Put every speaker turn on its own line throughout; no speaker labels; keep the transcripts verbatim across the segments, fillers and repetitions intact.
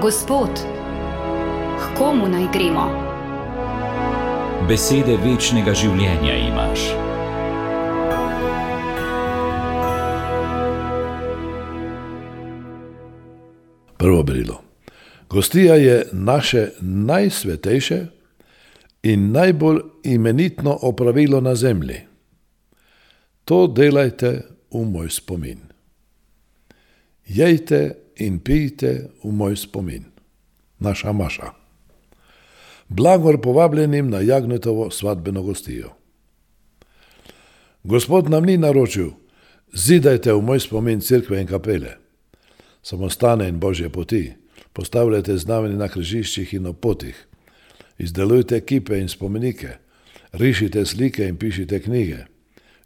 Gospod, k komu naj gremo?
Besede večnega življenja imaš.
Prvo berilo. Gostija je naše najsvetejše in najbolj imenitno opravilo na zemlji. To delajte v moj spomin. Jejte in pijte v moj spomin. Naša Maša. Blagor povabljenim na Jagnjetovo svadbeno gostijo. Gospod nam ni naročil, zidajte v moj spomin cerkve in kapele, samostane in božje poti, postavljajte znamenje na križiščih in na potih, izdelujte kipe in spomenike, rišite slike in pišite knjige,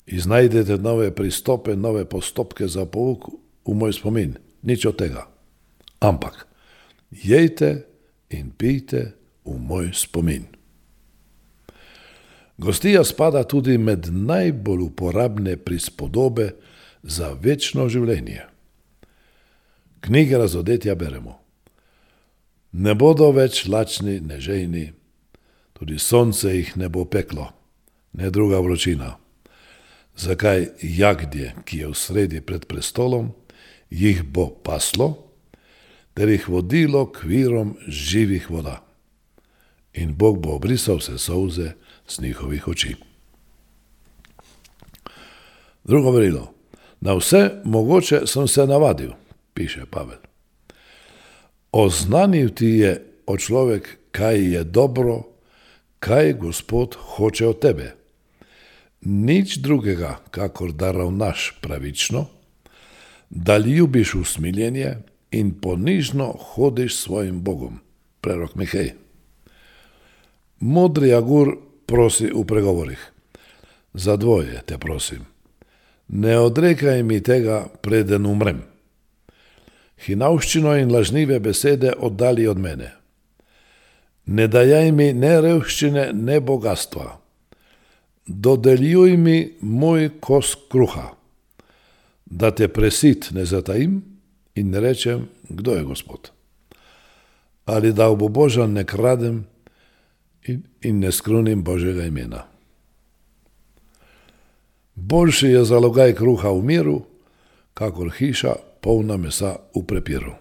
iznajdete nove pristope, nove postopke za pouk v moj spomin. Nič od tega. Ampak jejte in pijte v moj spomin. Gostija spada tudi med najbolj uporabne prispodobe za večno življenje. Knjige razodetja beremo. Ne bodo več lačni, ne žejni, tudi sonce jih ne bo peklo, ne druga vročina. Zakaj jagdje, ki je v sredi pred prestolom, jih bo paslo, ter jih vodilo k virom živih voda. In Bog bo obrisal vse solze z njihovih oči. Drugo verilo. Na vse mogoče sem se navadil, piše Pavel. Oznanil ti je, o človek, kaj je dobro, kaj Gospod hoče od tebe. Nič drugega, kakor da ravnaš pravično, da ljubiš usmiljenje in ponižno hodiš svojim Bogom. Prerok Mihej. Modri Agur prosi v pregovorih. Za dvoje te prosim. Ne odrekaj mi tega, preden umrem. Hinavščino in lažnive besede oddali od mene. Ne dajaj mi ne revščine, ne bogatstva. Dodeljuj mi moj kos kruha, da te presit ne zatajim in ne rečem, kdo je Gospod. Ali da obubožan ne kradem in, in ne skrunim Božjega imena. Boljši je zalogaj kruha v miru, kakor hiša polna mesa v prepiru.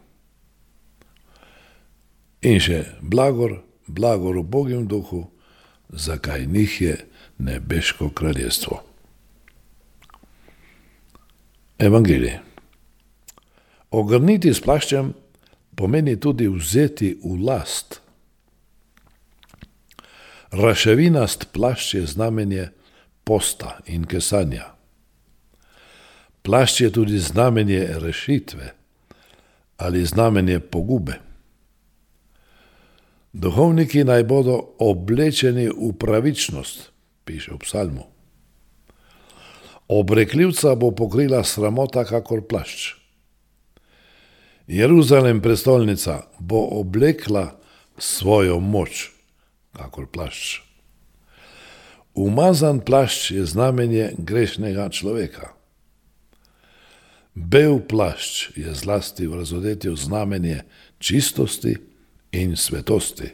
In še blagor, blagor v Božjem duhu, zakaj njih je nebeško kraljestvo. Evangelij. Ogrniti s plaščem pomeni tudi vzeti v last. Raševinast plašč je znamenje posta in kesanja. Plašč je tudi znamenje rešitve ali znamenje pogube. Duhovniki naj bodo oblečeni v pravičnost, piše v psalmu. Obrekljivca bo pokrila sramota kakor plašč. Jeruzalem, prestolnica, bo oblekla svojo moč kakor plašč. Umazan plašč je znamenje grešnega človeka. Bel plašč je zlasti v razodetju znamenje čistosti in svetosti.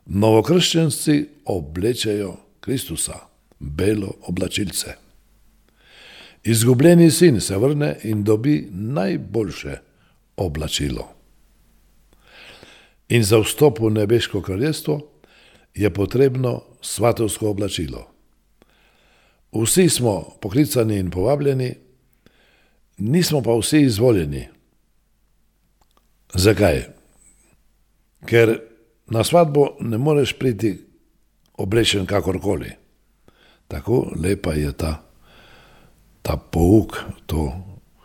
Novokrščenci oblečejo Kristusa, belo oblačilce. Izgubljeni sin se vrne in dobi najboljše oblačilo. In za vstop v nebeško kraljestvo je potrebno svatovsko oblačilo. Vsi smo poklicani in povabljeni, nismo pa vsi izvoljeni. Zakaj? Ker na svadbo ne moreš priti oblečen kakorkoli. Tako lepa je ta, ta pouk, to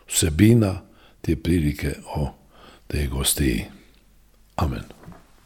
vsebina, te prilike o tej gostiji. Amen.